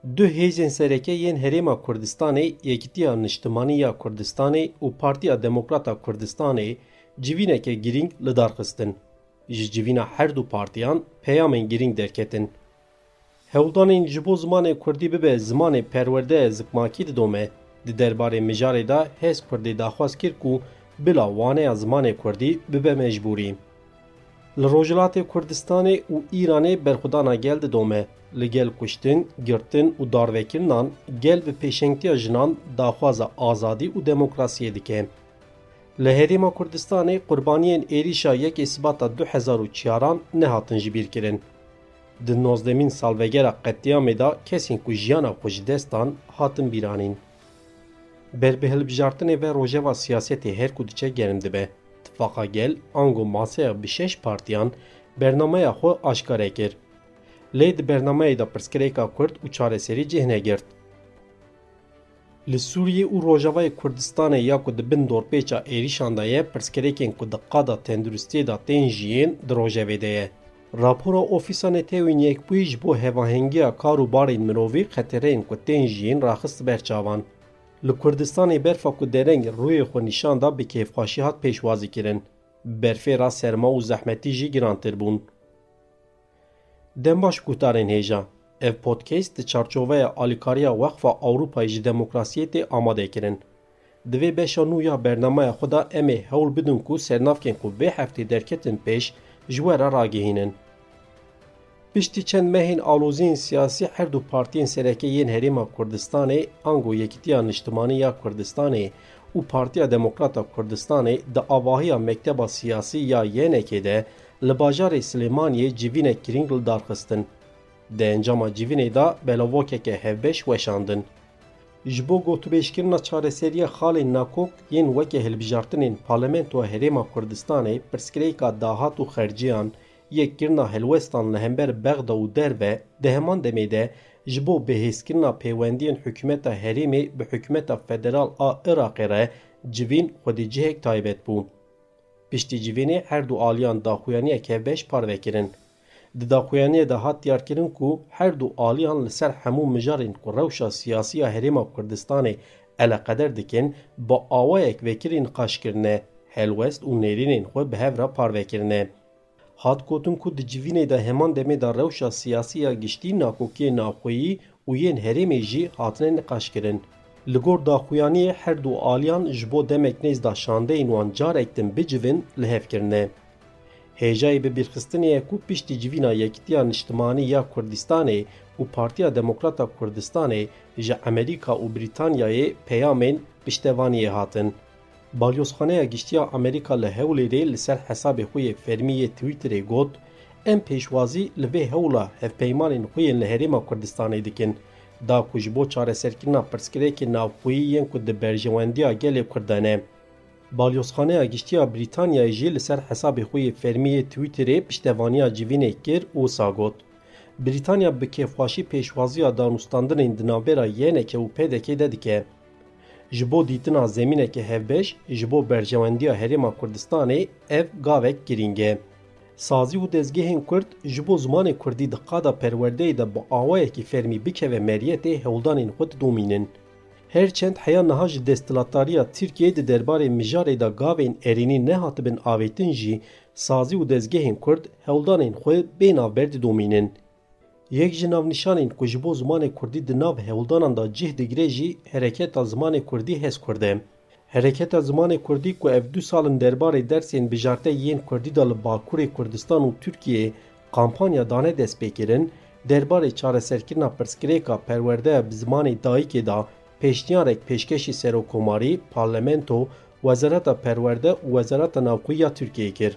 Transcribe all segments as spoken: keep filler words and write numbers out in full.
Du hêzên sereke yên Herêma Kurdistanê, Yekîtiya Niştimanî ya Kurdistanê û Partiya Demokrat a Kurdistanê civîneke girîng li dar xistin. Ji civîna her du partiyan peyamên girîng derketin. Hewldanên ji bo zimanê kurdî bibe zimanê perwerde zikmakî didome. Di derbarê mijarê de Hez Kurdê daxwaz kir ku bila waneya zimanê kurdî bibe mecbûrî. Li Rojhilatê Kurdistanê û Îranê berxwedana gel didome. Li gel kuştin, girtin û darvekirinan gel bi pêşengtiya jinan daxwaza azadî û demokrasiyê dike. Li Herêma Kurdistanê qurbaniyên êrîşa yekê Sibata du hezar û çaran nehatin ji bîr kirin. Di nozdemîn salvegera qetlîamê de kesên ku jiyana xwe ji dest dan hatin bîranîn. Ber bi hilbijartinê ve rojeva siyasetê her ku diçe germ dibe. Tifaqa Gel ango maseya bi şeş partiyan bernameya xwe aşkare kir. Lê di bernameyê de pirsgirêka Kurd û çareserî cih negirt. Li Sûriyê û Rojavayê Kurdistanê ya ku di bin dorpêça êrîşan de ye, pirsgirêkên ku di qada tenduristiyê de tên jiyên di rojevê de ye. Rapora Ofîsa Netewên Yekbûyî ji bo hevahengiya kar û barên mirovî xetereyên ku tên jiyên raxist ber çavan. Li Kurdistanê berfa ku dereng rûyê xwe nîşan da bi kêfxweşî hat pêşwazîkirin. Berfê re serma û zehmetî jî girantir bûn. Dem baş guhdarên hêja. Ev podcast di çarçoveya alîkariya Wexfa Ewropayê ji Demokrasiyê tê amade kirin. Di vê beşa nû ya bernameya xwe de em ê hewl bidin ku sernavkên ku vê heftê derketin pêş ji we re ragihînin. Piştî çend mehên aloziyên siyasî her du partiyên sereke yên Herêma Kurdistanê, ango Yekîtiya Niştimanî ya Kurdistanê û Partiya Demokrat a Kurdistanê di avahiya mekteba siyasî ya Y N K'ê de li bajarê Silêmaniyê civînek girîng li dar xistin. Di encama civînê de belavokeke hevbeş weşandin. Ji bo gotûbêjkirina çareseriya xalên nakok yên weke hilbijartinên Parlamentoya Herêma Kurdistanê, pirsgirêka dahat û xerciyan, yek kirina helwestan li hember Bexda û derve, di heman demê de ji bo bihêzkirina pêwendiyên hikûmeta herêmê bi hikûmeta federal a Iraqê re civîn xwedî cihek taybet bû. Piştî civînê her du aliyan daxuyaniyek hevbeş parve kirin. Di daxuyaniyê de hat diyarkirin ku her du aliyan li ser hemû mijarên ku rewşa siyasî ya Herêma Kurdistanê eleqeder dikin, bi awayek vekirî niqaş kirine, helwest û nêrînên xwe bi hev re parve kirine. Hat gotin ku di civînê de heman demê de rewşa siyasî ya giştî, nakokiyên navxweyî û yên herêmê jî hatine niqaşkirin. Li gor daxuyaniyê her du aliyan ji bo demek nêz de şandeyên wan carek din bicivin li hev kirine. Hêjayî bibîrxistinê ye ku piştî civîna Yekîtiya Niştimanî ya Kurdistanê û Partiya Demokrat a Kurdistanê ji Amerîka û Brîtanyayê peyamên piştevaniyê hatin. Balyozxaneya Giştî ya Amerîka li Hewlêrê li ser hesabê xwe yê fermî yê Twitterê got, em pêşwazî li vê hewla hevpeymanên xwe yên li Herêma Kurdistanê dikin, da ku ji bo çareserkirina pirsgirêkên navxweyî yên ku di berjewendiya gelê Kurd de ne. Balyozxaneya Giştî ya Brîtanyayê jî li ser hesabê xwe yê fermî yê Twitterê piştevaniya civînê kir û wisa got, Brîtanya bi kêfxweşî pêşwaziya danûstandinên di navbera Y N K û P D K de dike. Ji bo dîtina zemîneke hevbeş, ji bo berjewendiya Herêma Kurdistanê ev gavek girîng e. Sazî û dezgehên Kurd ji bo zimanê Kurdî di qada perwerdeyê de bi awayekî fermî bikeve meriyetê hewldanên xwe didomînin. Her çend heya niha ji desthilatdariya Tirkiyeyê di derbarê mijarê de gavên erênî nehatibin avêtin jî, sazî û dezgehên Kurd hewldanên xwe bê navber didomînin. Yek ji navnîşanên ku ji bo zimanê kurdî di nav hewldanan de cih digire jî Hereketa Zimanê Kurdî, Hez Kurd e. Hereketa Zimanê Kurdî ku ev du sal in derbarê dersên bijarte yên kurdî de li Bakurê Kurdistan û Tirkiyeyê kampanya dane destpêkirin, derbarê çareserkirina pirsgirêka perwerdeya bi zimanê dayikê de pêşniyarek pêşkêşî Serokkomarî, Parlamento, Wezareta Perwerde û Wezareta Navxweyî ya Tirkiyeyê kir.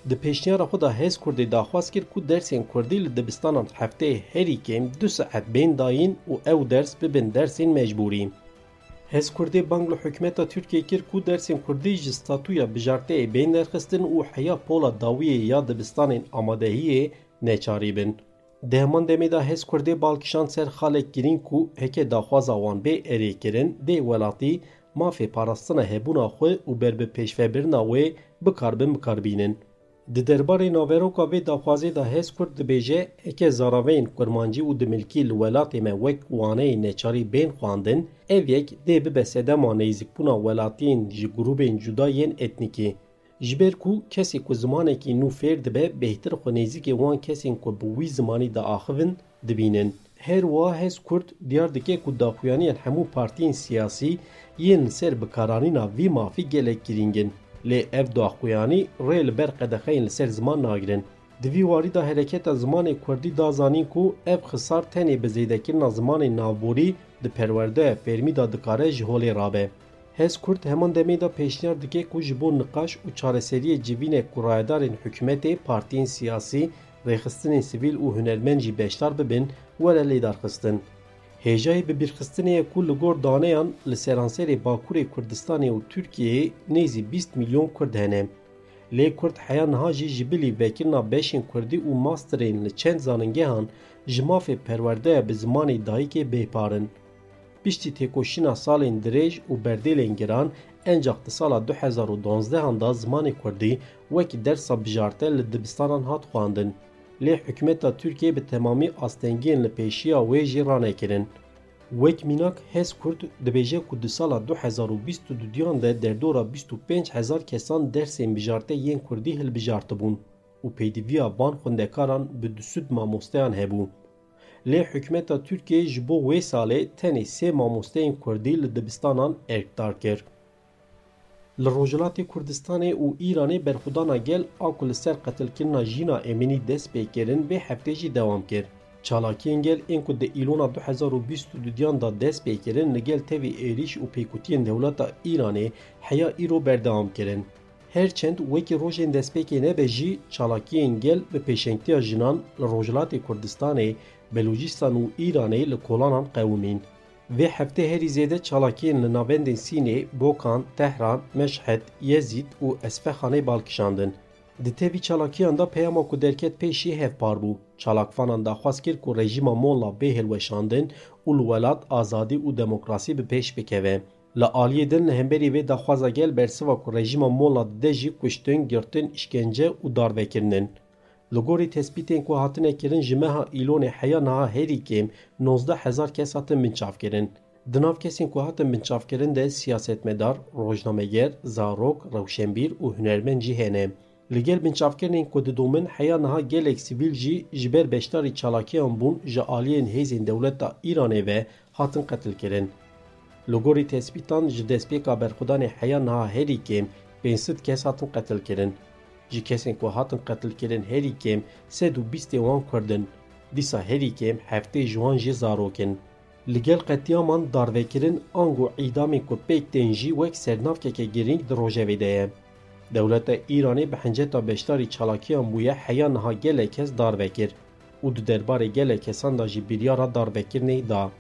Di pêşniyara xwe de Hez Kurdê daxwaz kir ku dersên kurdî li dibistanan hefteyê herî kêm du saet bên dayîn û ew ders bibin dersên mecbûrî. Hez Kurdê bang li hikûmeta Tirkiyê kir ku dersên kurdî ji statûya bijarteyê bên derxistin û heya pola dawiyê ya dibistanên amadehiyê neçarî bin. Di heman demê de Hez Kurdê bal kişand ser xalek girîng ku heke daxwaza wan bê erêkirin, dê welatî mafê parastina hebûna xwe û ber bi pêşvebirina wê bikaribin bikarbînin. Di derbarê naveroka vê daxwazê de Hezkurt dibêje, heke zaraveyên kurmancî û dimilkî li welatê me wek waneyê neçarî bên xwendin, ev yek dê bibe sedema nêzîkbûna welatiyên ji grûbên cuda yên etnîkî. Ji ber ku kesê ku zimanekî nû fêr dibe, bêhtir xwe nêzîkê wan kesên ku bi wî zimanî diaxivin, dibînin. Her wiha Hezkurt diyar dike ku daxuyaniyên hemû partiyên siyasî yên li ser bikaranîna vî mafî gelek girîng in. Lê ev daxuyanî rê li ber qedexeyên li ser ziman nagirin. Di vî warî de Hereketa Zimanê Kurdî da zanîn ku ev xisar tenê bi zêdekirina zimanê navborî di perwerdeya fermî de dikare ji holê rabe. Hezkurt heman demê de pêşniyar dike ku ji bo niqaş û çareseriyê civînek ku rayedarên hikûmetê, partiyên siyasî, rêxistinên sivîl û hunermend jî beşdar bibin, were lêdarxistin. Hêjayî bibîrxistinê ye ku li gor daneyan li seranserê Bakurê Kurdistanê û Tirkiyeyê nêzî bîst milyon Kurd hene. Lê Kurd heya niha jî ji bilî vekirina beşên Kurdî û masterên li çend zanîngehan ji mafê perwerdeya bi zimanê dayikê bêpar in. Piştî têkoşîna salên dirêj û berdêlên giran, encax di sala du hezar û duwazdeh an de zimanê Kurdî wekî dersa bijarte li dibistanan hat xwendin. Lê hikûmeta Tirkiyê bi temamî astengiyên li pêşiya wê jî ranekirin. Wek mînak, Hezkurt dibêje ku di sala du hezar û bîst û duyan de derdora bîst û pênc hezar kesan dersên bijarte yên Kurdî hilbijartibûn û pêdiviya van xwendekaran bi du sed mamosteyan hebû. Lê hikûmeta Tirkiyê ji bo wê salê tenê sê mamosteyên Kurdî li dibistanan erkdar kir. Li Rojhilatê Kurdistanê û Îranê berxwedana gel a ku li ser qetilkirina Jîna Emînî dest pê kirin, vê heftê jî dewam kir. Çalakiyên gel ên ku di Îlona du hezar û bîst û duyan de dest pê kirin, li gel tevî êrîş û pêkutiyên dewleta Îranê heya îro berdewam kirin. Her çend wekî rojên destpêkê nebe jî, çalakiyên gel bi pêşengtiya jinan li Rojhilatê Kurdistanê, Belûcîstan û Îranê li kolanan qewimîn. Vê heftê herî zêde çalakiyên li navendên Sînê, Bokan, Tehran, Meşhed, Yezîd û Esfexanê bal kişandin. Di tevî çalakiyan de peyama ku derket pêşî hevpar bû. Çalakvanan daxwaz kir ku rejîma Molla bê hilweşandin û li welat azadî û demokrasî bi pêş bikeve. Li aliyê din li hemberî vê daxwaza gel bersiva ku rejîma Molla dide jî kuştin, girtin, îşkence û darvekirin in. Li gorî tespîtên ku hatine kirin, ji meha Îlonê heya niha herî kêm nozdeh hezar kes hatin binçavkirin. Di nav kesên ku hatin binçavkirin de siyasetmedar, rojnameger, zarok, rewşenbîr û hunermend jî hene. Li gel binçavkirinên ku didomin, heya niha gelek sivîl jî ji ber beşdarî çalakiyan bûn, ji aliyên hêzên dewleta Îranê ve hatin qetilkirin. Li gorî tespîtan, ji destpêka berxwedanê heya niha herî kêm pênc sed kes hatin qetilkirin. Ji kesên ku hatin qetilkirin herî kêm sed û bîstê wan Kurd in. Dîsa herî kêm heftê ji wan jî zarok in. Li gel qetiyaman, darvekirin, ango îdamên ku pêk tên jî wek sernavkeke girîng di rojevê de ye. Dewleta Îranê bi hinceta beşdarî çalakiyan bûye, heya niha gelek kes darve kir û di derbarê gelek kesan de jî biryara darvekirinê da.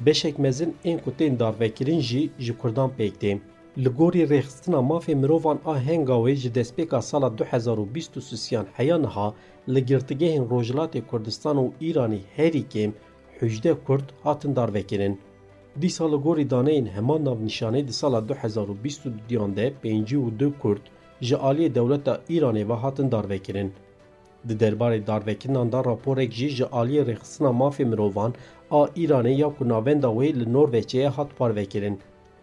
Beşek mezin ên ku tên darvekirin jî ji Kurdan pêk tê. Li gorî Rêxistina Mafê Mirovan a Hengawê, ji destpêka sala du hezar û bîst û sisiyan heya niha li girtîgehên Rojhilatê Kurdistan û Îranê herî kêm hejdeh Kurd hatin darvekirin. Dîsa li gorî daneyên heman navnîşanê, di sala du hezar û bîst û duyan de pêncî û du Kurd ji aliyê dewleta Îranê ve hatin darvekirin. Di derbarê darvekirinan de raporek jî ji aliyê Rêxistina Mafê Mirovan a Îranê ya ku navenda wê li Norveçê ye hat parvekirin.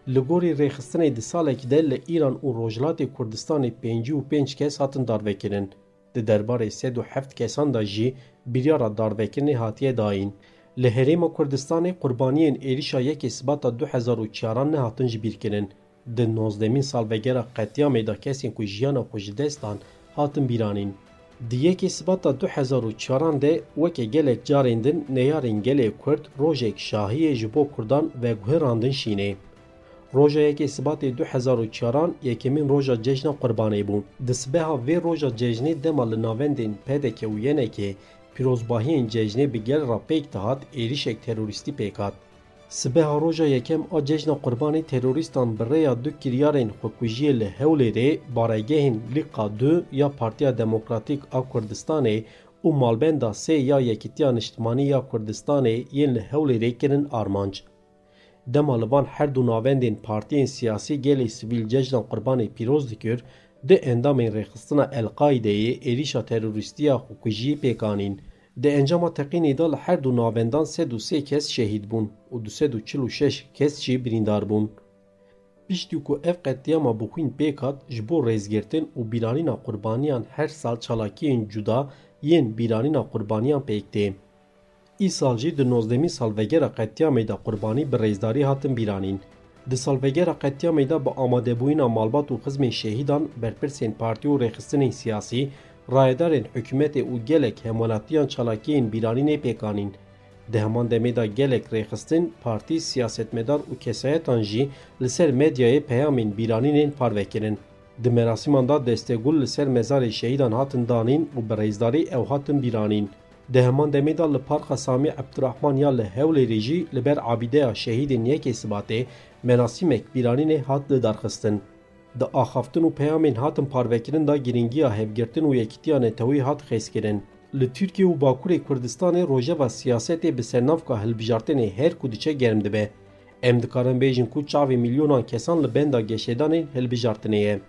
Li gorî rêxistinê, di salekî de li Îran û Rojhilatê Kurdistanê pêncî û pênc kes hatin darvekirin. Di derbarê sed û heft kesan de jî biryara darvekirinê hatiye dayîn. Li Herêma Kurdistanê qurbaniyên êrişa yekê Sibata du hezar û çaran nehatin jibîrkirin. Di nozdemîn salvegera qetlîamê de kesên ku jiyana xwe ji dest dan hatin bîranîn. Di yekê Sibata du hezar û çaran de weke gelek carên din neyarên gelê Kurd rojek şahiyê ji bo Kurdan veguherandin şînê. Roja yekê Sibatê du hezar û çaran yekemîn roja cejna Qurbanê bû. Di sibeha vê roja cejnê dema li navendên P D K û Y N K pîrozbahiyên cejnê bi gel re pêk dihat, êrişek terorîstî pêk hat. Sibeha roja yekem a cejna Qurbanê terorîstan bi rêya du kiryarên xwekujiyê li Hewlêrê, baregehên Lîqa du ya Partiya Demokratîk a Kurdistanê û malbenda sê ya Yekîtiya Niştimanî ya Kurdistanê yên li Hewlêrê kirin armanc. Dema li van her du navendên partiyên siyasî gelê sivîl cejna Qurbanê pîroz dikir, Du endamên rêxistina El-Qaîdeyê êrîşa terorîstî ya xwekujiyê pêk anîn. Di encama teqînê de li her du navendan sed û sê kes şehîd bûn û du sed û çil û şeş kes jî birîndar bûn. Piştî ku ev qetlîama bi xwîn pêk hat, ji bo rêzgirtin û bîranîna qurbaniyan her sal çalakiyên cuda yên bîranîna qurbaniyan pêk tê. Îsal jî di nozdehmîn salvegera qetlîamê de qurbanî bi rêzdarî hatin bîranîn. Di salvegera qetlîamê de bi amadebûyîna malbat û xizmên şehîdan, berpirsên partî û rêxistinên siyasî, rayedarên hikûmetê û gelek hemwelatiyan çalakiyên bîranînê pêk anîn. Di heman demê de gelek rêxistin, partî, siyasetmedar û kesayetan jî li ser medyayê peyamên bîranînên parve kirin. Di merasîman de destegul li ser mezarê şehîdan hatin danîn û bi rêzdarî ew hatin bîranîn. Di heman demê de li Parka Samî Ebdurehman ya li Hewlêrê jî li ber abîdeya şehîdên yekê Sibatê merasîmek bîranînê hat lidarxistin. Di axaftin û peyamên hatin parvekirin de girîngiya hevgirtin û yekîtiya netewî hat xêzkirin. Li Tirkiye û Bakurê Kurdistanê rojeva siyasetê bi sernavka hilbijartinê her ku diçe germ dibe. Em dikarin bêjin ku çavê milyonan kesan li benda geşedanên hilbijartinê ye.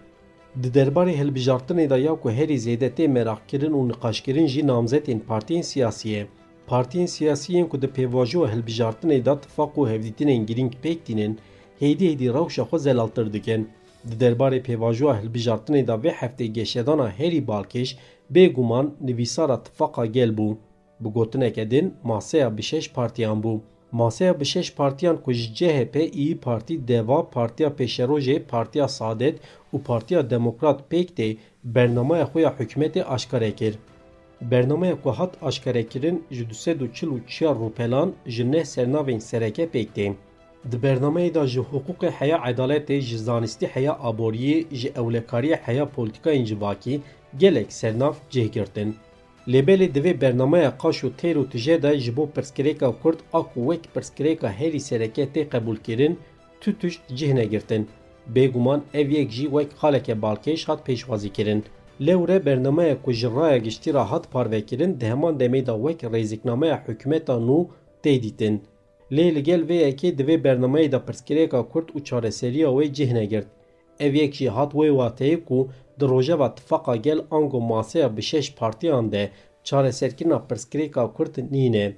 Di derbarê hilbijartinê de ya ku herî zêde tê meraqkirin û niqaşkirin jî namzetên partiyên siyasî ye. Partiyên siyasî yên ku di pêvajoya hilbijartinê de tifaq û hevdîtinên girîng pêk tînin, hêdî hêdî rewşa xwe zelaltir dikin. Di derbarê pêvajoya hilbijartinê de vê heftê geşedana herî balkêş, bêguman nivîsara Tifaqa Gel bû. Bi gotineke din, maseya bi şeş partiyan bû. Maseya bi şeş partiyan ku ji C H P, İYİ Parti, DEVA, Partiya Pêşerojê, Partiya Saadet û Partiya Demokrat pêk tê, bernameya xwe ya hikûmetê aşkare kir. Bernameya ku hat aşkarekirin ji du sed û çil û çar rûpelan ji neh sernavên sereke pêk tê. Di bernameyê de ji hiqûqê heya edaletê, ji zanistî heya aboriyê, ji ewlekariyê heya polîtîkayên civakî gelek sernav cih girtin. Lê belê di vê bernameya qaş û têr û tije de ji bo pirsgirêka Kurd a ku wek pirsgirêka herî sereke tê qebûlkirin, tu tişt cih negirtin. Bêguman ev yek jî wek xaleke balkêş hat pêşwazîkirin. Lewre bernameya ku ji raya giştî re hat parvekirin di heman demê de wek rêziknameya hikûmeta nû tê dîtin. Lê li gel vê yekê di vê bernameyê de pirsgirêka Kurd û çareseriya wê cih negirt. Ev yek jî hat wê wateyê ku di rojeva Tifaqa Gel ango maseya bi şeş partiyan de çareserkirina pirsgirêka Kurd nîne.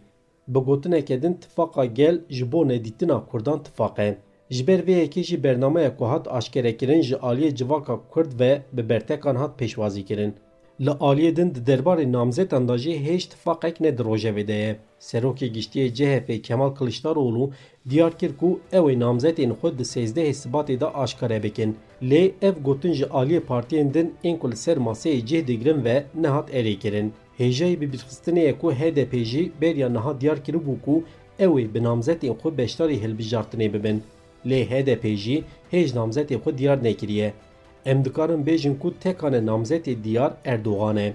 Bi gotineke din, Tifaqa Gel ji bo nedîtina Kurdan tifaq e. Ji ber vê yekê jî bernameya ku hat aşkerekirin ji aliyê civaka Kurd ve bi bertekan hat pêşwazîkirin. Li aliyê din di derbarê namzetan de jî hêj tifaqek ne di rojevê de ye. Serokê Giştî yê C H P Kemal Kiliçdaroglu diyar kir ku ew ê namzetên xwe di sêzdehê Sibatê de aşkare bikin. Lê ev gotin ji aliyê partiyên din ên ku li ser maseyê cih digirin ve nehat erêkirin. Hêjayî bibîrxistinê ye ku H D P jî beriya niha diyar kiribû ku ew ê bi namzetên xwe beşdarî hilbijartinê bibin. Lê H D P jî hêj namzetê xwe diyar nekiriye. Em dikarin bêjin ku tekane namzetê diyar Erdogan e.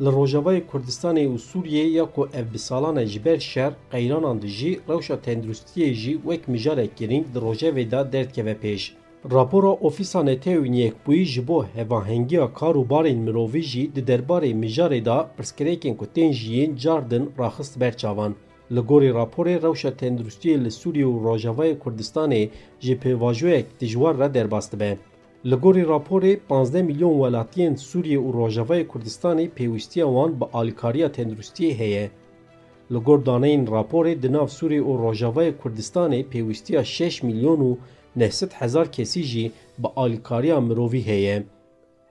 Li Rojavayê Kurdistanê û Sûriyê ya ku ev bi salan e ji ber şer, qeyranan dijî, rewşa tenduristiyê jî wek mijarek girîng di rojevê de derdikeve pêş. Rapora Ofîsa Netewên Yekbûyî ji bo hevahengiya kar û barên mirovî jî di derbarê mijarê de pirsgirêkên ku tên jiyîn car din raxist ber çavan. Li gorî raporê, rewşa tenduristiyê li Sûriyê û Rojavayê Kurdistanê ji pêvajoyek dijwar re derbas dibe. Li gorî raporê, panzdeh milyon welatiyên Sûriyê û Rojavayê Kurdistanê pêwîstiya wan bi alîkariya tenduristiyê heye. Li gor daneyên raporê, di nav Sûriyê û Rojavayê Kurdistanê pêwîstiya şeş milyon û neh sed hezar kesî jî bi alîkariya mirovî heye.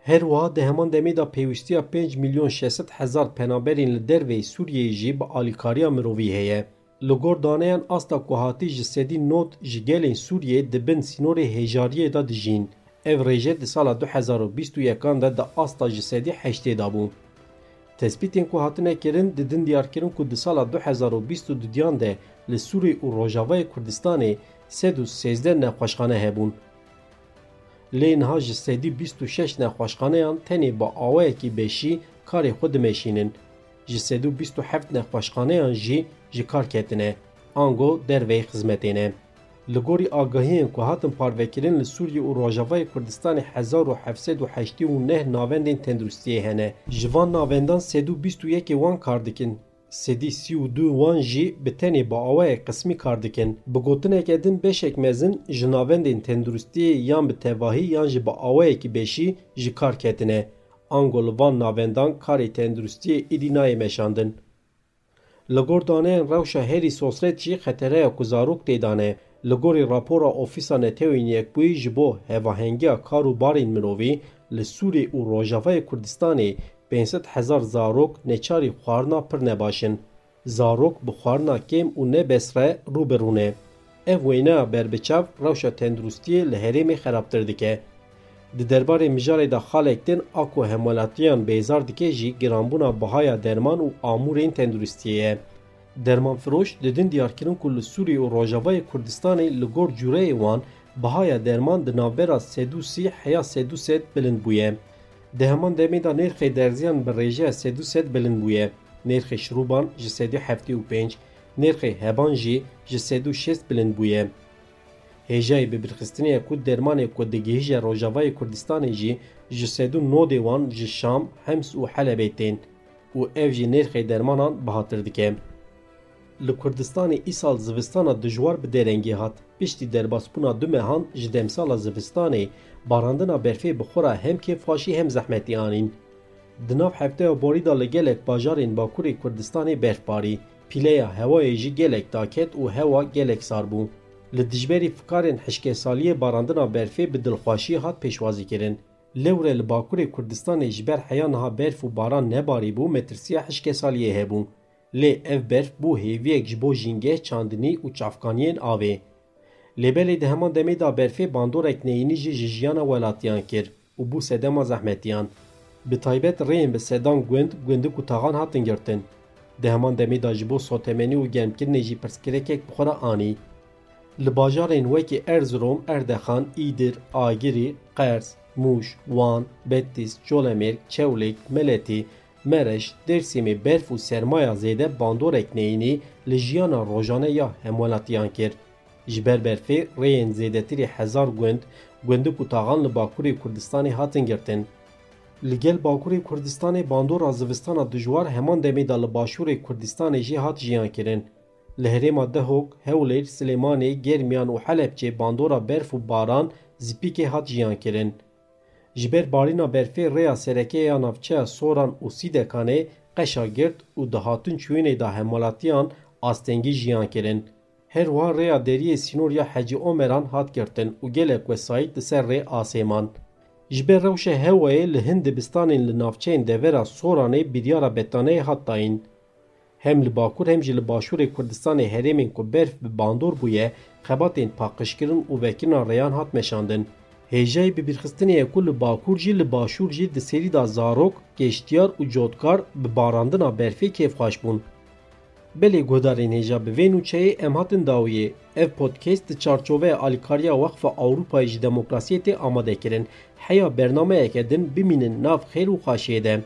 Her wiha di heman demê de pêwîstiya pênc milyon şeş sed hezar penaberên li derveyî Sûriyeyê jî bi alîkariya mirovî heye. Li gor daneyan, asta ku hatî ji sedî nod ji gelên Sûriyê di bin sînorê hêjariyê de dijîn. Ev rêje di sala du hezar û bîst û yekan de di asta ji sedî heştê de bû. Tespîtên ku hatine kirin, didin diyarkirin ku di sala du hezar û bîst û duyan de li Sûrî û Rojavayê Kurdistanê sed û sêzdeh nexweşxane hebûn. Lê niha ji sedî bîst û şeş nexweşxaneyan tenê bi awayekî beşî karê xwe dimeşînin. Ji sedî bîst û heft nexweşxaneyan jî ji kar ketine, ango derveyî xizmetê ne. Li gorî agahiyên ku hatin parvekirin, li Sûriyê û Rojavayê Kurdistanê hezar û heft sed û heştê û neh navendên tenduristiyê hene. Ji van navendan sed û bîst û yekê wan kar dikin. Sedî sî û du wan jî bi tenê bi awayek qismî kar dikin. Bi gotineke din beşek mezin ji navendên tenduristiyê yan bi tevahî yan jî bi awayekî beşî ji kar ketine. Ango li van navendan karê tenduristiyê êdî nayê meşandin. Li gor daneyên rewşa herî sosret jî xetereya ku zarok tê de ne. Li gorî rapora Ofîsa Netewên Yekbûyî ji bo hevahengiya kar û barên mirovî li Sûriyê û Rojavayê Kurdistanê pênc sed hezar zarok neçarî xwarina pir nebaş in. Zarok bi xwarina kêm û ne bes re rû bi rû ne. Ev wêneya berbiçav rewşa tenduristiyê li herêmê xerabtir dike. Di derbarê mijarê de xalek din a ku hemwelatiyan bêzar dike jî giranbûna bihaya derman û amûrên tenduristiyê ye. Dermanfiroş didin diyarkirin ku li Sûriyê û Rojavayê Kurdistanê li gor cûreyê wan bihaya derman di navbera sed û sî heya sed û sed bilind bûye. Di heman demê de nêrxê derziyan bi rêjeya sed û sed bilind bûye. Nêrxê şirûban ji sed û heftê û pênc, nêrxê heban jî ji sed û şêst bilind bûye. Hêjayî bibîrxistinê ye ku dermanê ku digihîje Rojavayê Kurdistanê jî ji sed û nodê wan ji Şam, Hems û Helebê tên û ev jî nêrxê dermanan bihatir dike. Li Kurdistanê îsal zivistana dijwar bi derengî hat. Piştî derbasbûna du mehan ji demsala zivistanê, barandina berfê bi xwe re hem kêfxweşî hem zehmetî anîn. Di nav hefteya borî de li gelek bajarên Bakurê Kurdistanê berf barî. Pîleya hewayê jî gelek daket û hewa gelek sar bû. Li dijberî fikarên hişkesaliyê barandina berfê bi dilxweşî hat pêşwazîkirin. Lewre li Bakurê Kurdistanê ji ber heya niha berf û baran nebarîbû, metirsiya hişkesaliyê hebû. Lê ev berf bû hêviyek ji bo jîngeh, çandinî û çavkaniyên avê. Lê belê di heman demê de berfê bandorek neyînî jî ji jiyana welatiyan kir û bû sedema zehmetiyan. Bi taybet rêyên bi sedan gund, gundik û taxan hatin girtin. Di heman demê de ji bo sotemenî û germkirinê jî pirsgirêkek bi xwe re anî. Li bajarên wekî Erzurum, Erdexan, Îdir, Agirî, Qers, Mûş, Wan, Betîs, Colemêrg, Çewlêg, Meletî, Mereş, Dêrsimê berf û sermaya zêde bandorek neyînî li jiyana rojane ya hemwelatiyan kir. Ji ber berfê rêyên zêdetirî hezar gund, gundik û taxan li Bakurê Kurdistanê hatin girtin. Li gel Bakurê Kurdistanê bandora zivistana dijwar heman demê de li Başûrê Kurdistanê jî hat jiyan kirin. Li herêma Dehok, Hewlêr, Silêmanê, Germiyan û Helebçê bandora berf û baran zîpîkê hat jiyan kirin. Ji ber barîna berfê rêya sereke ya navçeya Soran û Sîdekanê qeşa girt û di hatin çûyînê de hemwelatiyan astengî jiyan kirin. Her wiha rêya deriyê sînor ya Hecî Omeran hat girtin û gelek wesayît li ser rê asê man. Ji ber rewşa hewayê li hin dibistanên li navçeyên devera Soranê biryara betaneyê hat dayîn. Hem li Bakur hem jî li Başûrê Kurdistanê herêmên ku berf bi bandor bûye, xebatên paqijkirin û vekirina rêyan hat meşandin. Hêjayî bibîrxistinê ye ku li Bakur jî li Başûr jî di serî de zarok, geştiyar û cotkar bi barandina berfê kêfxweş bûn. Belê guhdarên hêja, bi vê nûçeyê em hatin dawiyê. Ev podcast di çarçoveya alîkariya Wexfa Ewropayê ji Demokrasiyê tê amade kirin. Heya bernameyeke din bimînin nav xêr û xweşiyê de.